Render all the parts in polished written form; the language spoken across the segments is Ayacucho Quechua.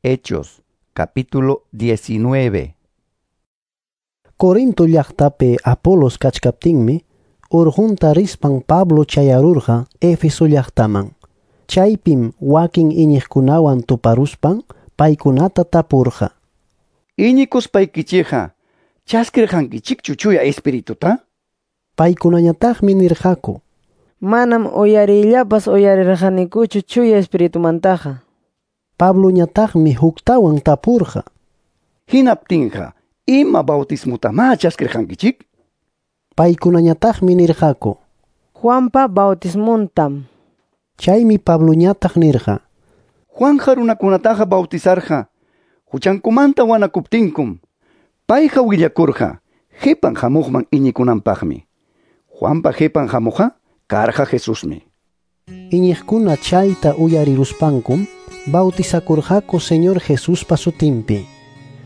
Hechos, capítulo 19. Corinto llaqtapi Apolos kachkaptinmi, urqunta rispan Pablo chayarurqa Éfeso llaqtaman. Chaypim wakin iñiqkunawan tuparuspan paykunata tapurqa. Iñikuspaykichikqa, chaskirqankichikchu Chuya Espirituta? Paykunañataqmi nirqaku: Manam uyariyllapas uyarirqanikuchu Chuya Espiritumantaqa. Pabloñataqmi huktawan tapurqa: Hinaptinqa, ima bautismotamá chaskirqankichik? Paykunañataqmi nirqaku: Juanpa bautismontam. Chaymi Pabloñataq nirqa: Juanja runakunataqa bautizarqa huchankumanta wanakuptinkum. Payqa willakurqa qipan hamuqman iñikunanpaqmi. Juanpa qipan hamuqqa karqa Jesusmi. Iñiqkuna chayta uyariruspankum bautizakurqaku Señor Jesuspa sutinpi.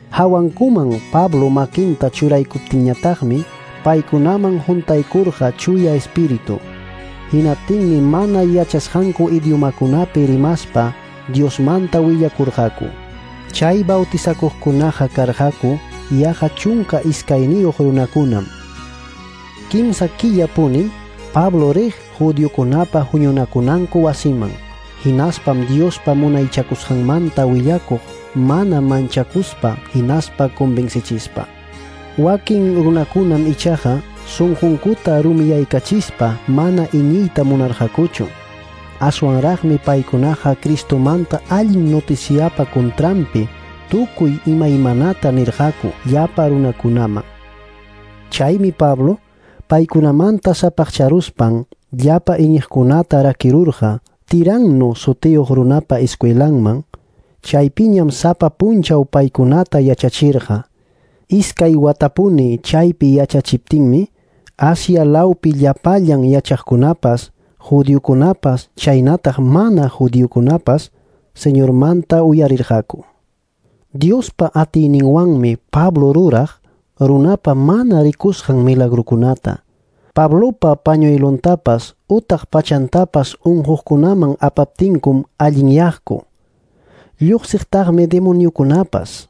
Hawankuman Pablo makinta churaykuptinñataqmi paykunaman huntaykurqa Chuya Espíritu. Hinaptinmi mana yachasqanku idiomakunapi rimaspa Diosmanta willakurqaku. Chay bautizakuqkunaqa karqaku yaqa 12 runakunam. 3 killapunim Pablo riq judiokunapa huñunakunanku wasiman. Hinaspam Diospa munaychakusqanmanta willakuq mana manchakuspa hinaspa convencichispa. Wakin runakunam ichaqa sunqunkuta rumiyaykachispa mana iñiyta munarqakuchu. Aswanraqmi paykunaqa Cristomanta allin noticiapa contranpi tukuy imaymanata nirqaku llapa runakunaman. Chaymi Pablo paykunamanta sapaqcharuspan llapa iñiqkunata rakirurqa Tiranno sutiyuq runapa escuelanman. Chaypiñam sapa punchaw paykunata yachachirqa. 2 watapuni chaypi yachachiptinmi Asia lawpi llapallan yachaqkunapas, judiokunapas, chaynataq mana judiokunapas Señormanta uyarirqaku. Diospa atiyninwanmi Pablo ruraq runapa mana rikusqan milagrukunata. Pablopa pañuelontapas utaq pachantapas unquqkunaman apaptinkum allinyaqku. Lluqsiqtaqmi demoniokunapas.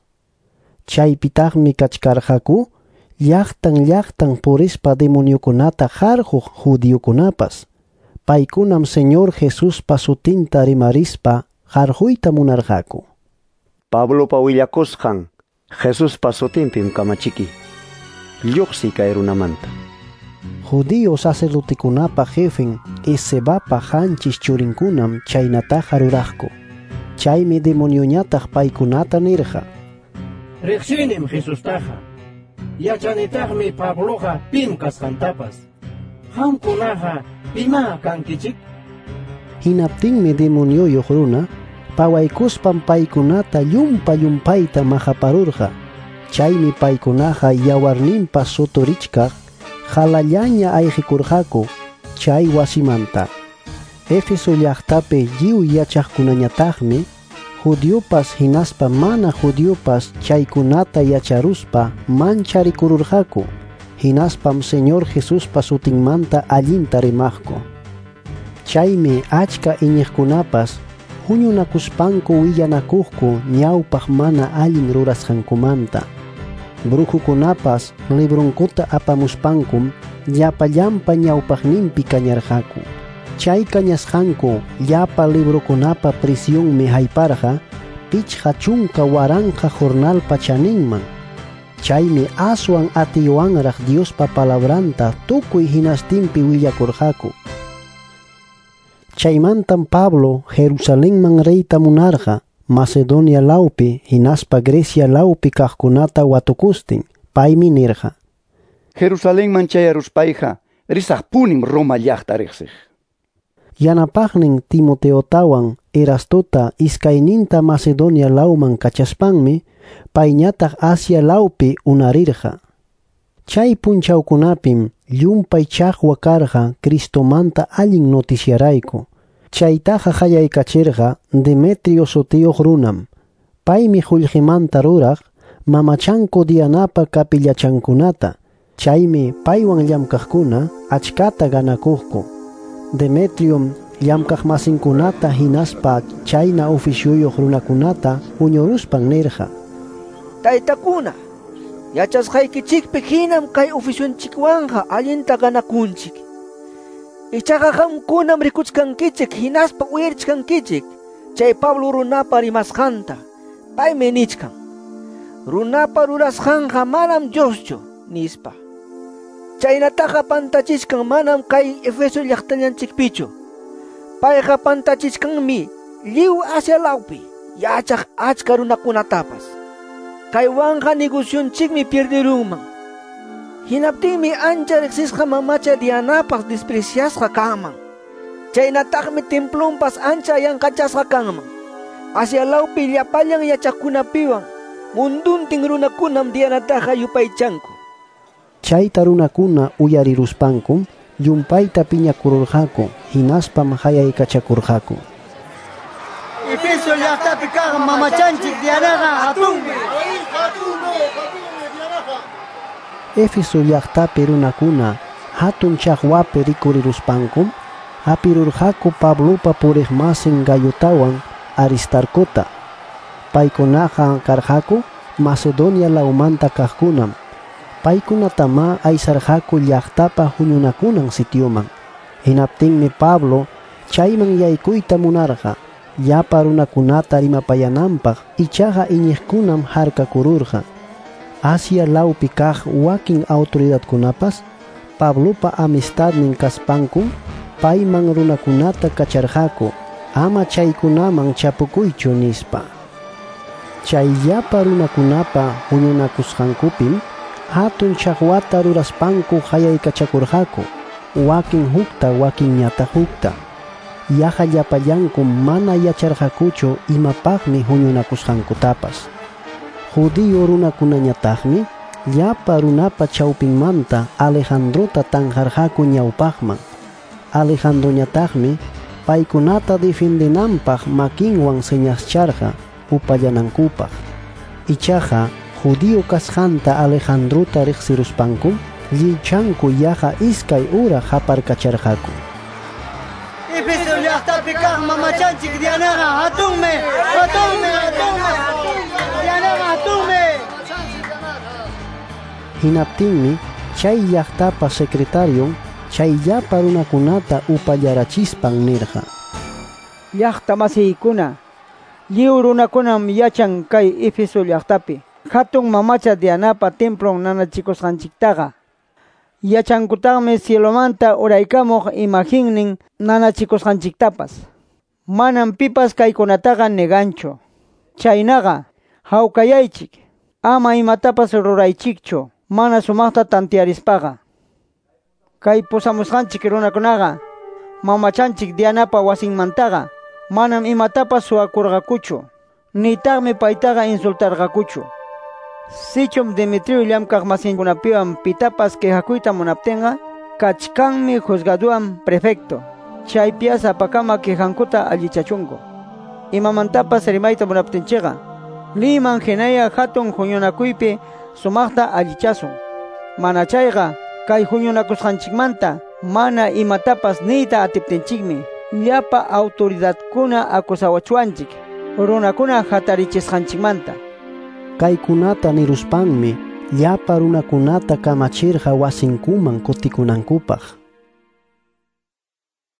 Chaypitaqmi kachkarqaku llaqtan llaqtan purispa demoniokunata qarquq judiokunapas. Paykunam Señor Jesuspa sutinta rimarispa qarquyta munarqaku. Pablopa willakusqan Jesuspa sutinpim kamachiki. Lluqsi kay runamanta. Judío sacerdotekunapa jefen Escevapa 7 churinkunam chaynataqa ruraqku. Chaymi demonioñataq paykunata nirqa: Riqsinim Jesustaqa. Yachanitaqmi Pabloqa pim kasqantapas. Qamkunaqa pima kankichik? Hinaptinmi demonioyuq runa pawaykuspan paykunata llumpa llumpayta maqaparurqa. Chaymi paykunaqa yawarninpa suturichkaq halallaña ayqikurqaku chay wasimanta. Éfeso llaqtapi lliw yachaqkunañataqmi judiopas hinaspa mana judiopas chaykunata yacharuspa mancharikururqaku. Hinaspam Señor Jesuspa sutinmanta allinta rimaqku. Chaymi achka iñiqkunapas huñunakuspanku willanakuqku ñawpaq mana allin rurasqankumanta. Brujukunapas librunkuta apamuspankum llapallanpa ñawpaqninpi kañarqaku. Chay kañasqanku llapa librokunapa prisionmi hayparqa 50,000 jornalpa chaninman. Chaymi aswan atiywanraq Diospa palabranta tukuy hinastinpi willakurqaku. Chaymantam Pablo Jerusalenman riyta munarqa Macedonia lawpi hinaspa Grecia lawpi kaqkunata watukustin. Paymi nirqa: Jerusalenman chayaruspayqa risaqpunim Roma llaqta riqsiq. Yanapaqnin Timoteotawan Erastota iskayninta Macedonia lawman kachaspanmi payñataq Asia lawpi unarirqa. Chay punchawkunapim llumpay chaqwa karqa Cristomanta allin noticiarayku. Chaytaqa qallaykachirqa Demetrio sutiyuq runam. Paymi qullqimanta ruraq mamachanku Dianapa kapillachankunata. Chaymi paywan llamkaqkuna achkata ganakuqku. Demetriom llamkaqmasinkunata hinaspa chayna ofisyuyuq runakunata huñuruspan nirqa: Taytakuna, yachasqaykichikpi hinam kay ofisyunchikwanqa allinta ganakunchik. Ichaqa qamkunam rikuchkankichik hinaspa uyarichkankichik chay Pablo runapa rimasqanta. Paymi nichkan: Runapa rurasqanqa manam Dioschu, nispa. Chaynataqa pantachichkan manam kay Efeso llaqtallanchikpichu. Payqa pantachichkanmi lliw Asia lawpi yachaq achka runakunatapas. Kaywanqa negocionchikmi pierderunman. Hinaptinmi ancha riqsisqa mamacha Dianapas despreciasqa kanman. Chaynataqmi templonpas ancha yanqachasqa kanman. Asia lawpi llapallan yachaqkunapiwan munduntin runakunam Dianataqa yupaychanku. Chayta runakuna uyariruspankum llumpayta piñakururqaku, hinaspam hayaykachakurqaku. Efeso llaqtapi kaq mamachanchik Dianaqa hatunmi. Éfeso llaqtapi runakuna hatun chaqwapi rikuriruspankum hapirurqaku Pablopa puriqmasin Gayotawan Aristarcota. Paykunaqa karqaku Macedonia lawmanta kaqkunam. Paykunatamá aysarqaku llaqtapa huñunakunan sitioman. Hinaptinmi Pablo chayman yaykuyta munarqa llapa runakunata rimapayananpaq, ichaqa iñiqkunam harkakururqa. Asia lawpi kaq wakin autoridadkunapas Pablopa amistadnin kaspankum payman runakunata kacharqaku ama chaykunaman chapukuychu nispa. Chay llapa runakunapa huñunakusqankupim hatun chaqwata ruraspanku hayaykachakurqaku, wakin hukta wakinñataq hukta. Yaqa llapallankum mana yacharqakuchu imapaqmi huñunakusqankutapas. Judío runakunañataqmi llapa runapa chawpinmanta Alejandrota tanqarqaku ñawpaqman. Alejandroñataqmi paykunata defendenanpaq makinwan señascharqa upallanankupaq. Ichaqa judío kasqanta Alejandrota riqsiruspankum lliwchanku yaqa iskay hora qaparkacharqaku. Efeso llaqtapi kaq mamachanchik Dianaqa hatunmi, hatunmi, hatunmi. Dianaqa hatunmi. Hinaptinmi chay llaqtapa secretarion chay llapa runakunata upallarachispan nirqa: Llaqta masiykuna, lliw runakunam yachan kay Efeso llaqtapi hatun mamacha Dianapa templon nanachikusqanchiktaqa. Yachankutaqmi cielomanta uraykamuq imaginnin nanachikusqanchiktapas. Manam pipas kaykunataqa neganchu. Chaynaqa hawkayaychik, ama imatapas ruraychikchu mana sumaqta tantiarispaqa. Kay pusamusqanchik runakunaqa mamachanchik Dianapa wasinmantaqa manam imatapas suwakurqakuchu, nitaqmi paytaqa insultarqakuchu. Sichum Demetrio llamkaq masinkunapiwan pitapas quejakuyta munaptinqa, kachkanmi juzgaduwan prefecto. Chaypias sapakama quejankuta allichachunku. Imamantapas rimayta munaptinchikqa, liman hinaya hatun huñunakuypi sumaqta allichasun. Mana chayqa kay huñunakusqanchikmanta mana imatapas niyta atiptinchikmi llapa autoridadkuna acusawachuanchik runakuna hatarichisqanchikmanta. Kaykunata niruspanmi llapa runakunata kamachirqa wasinkuman kutikunankupaq.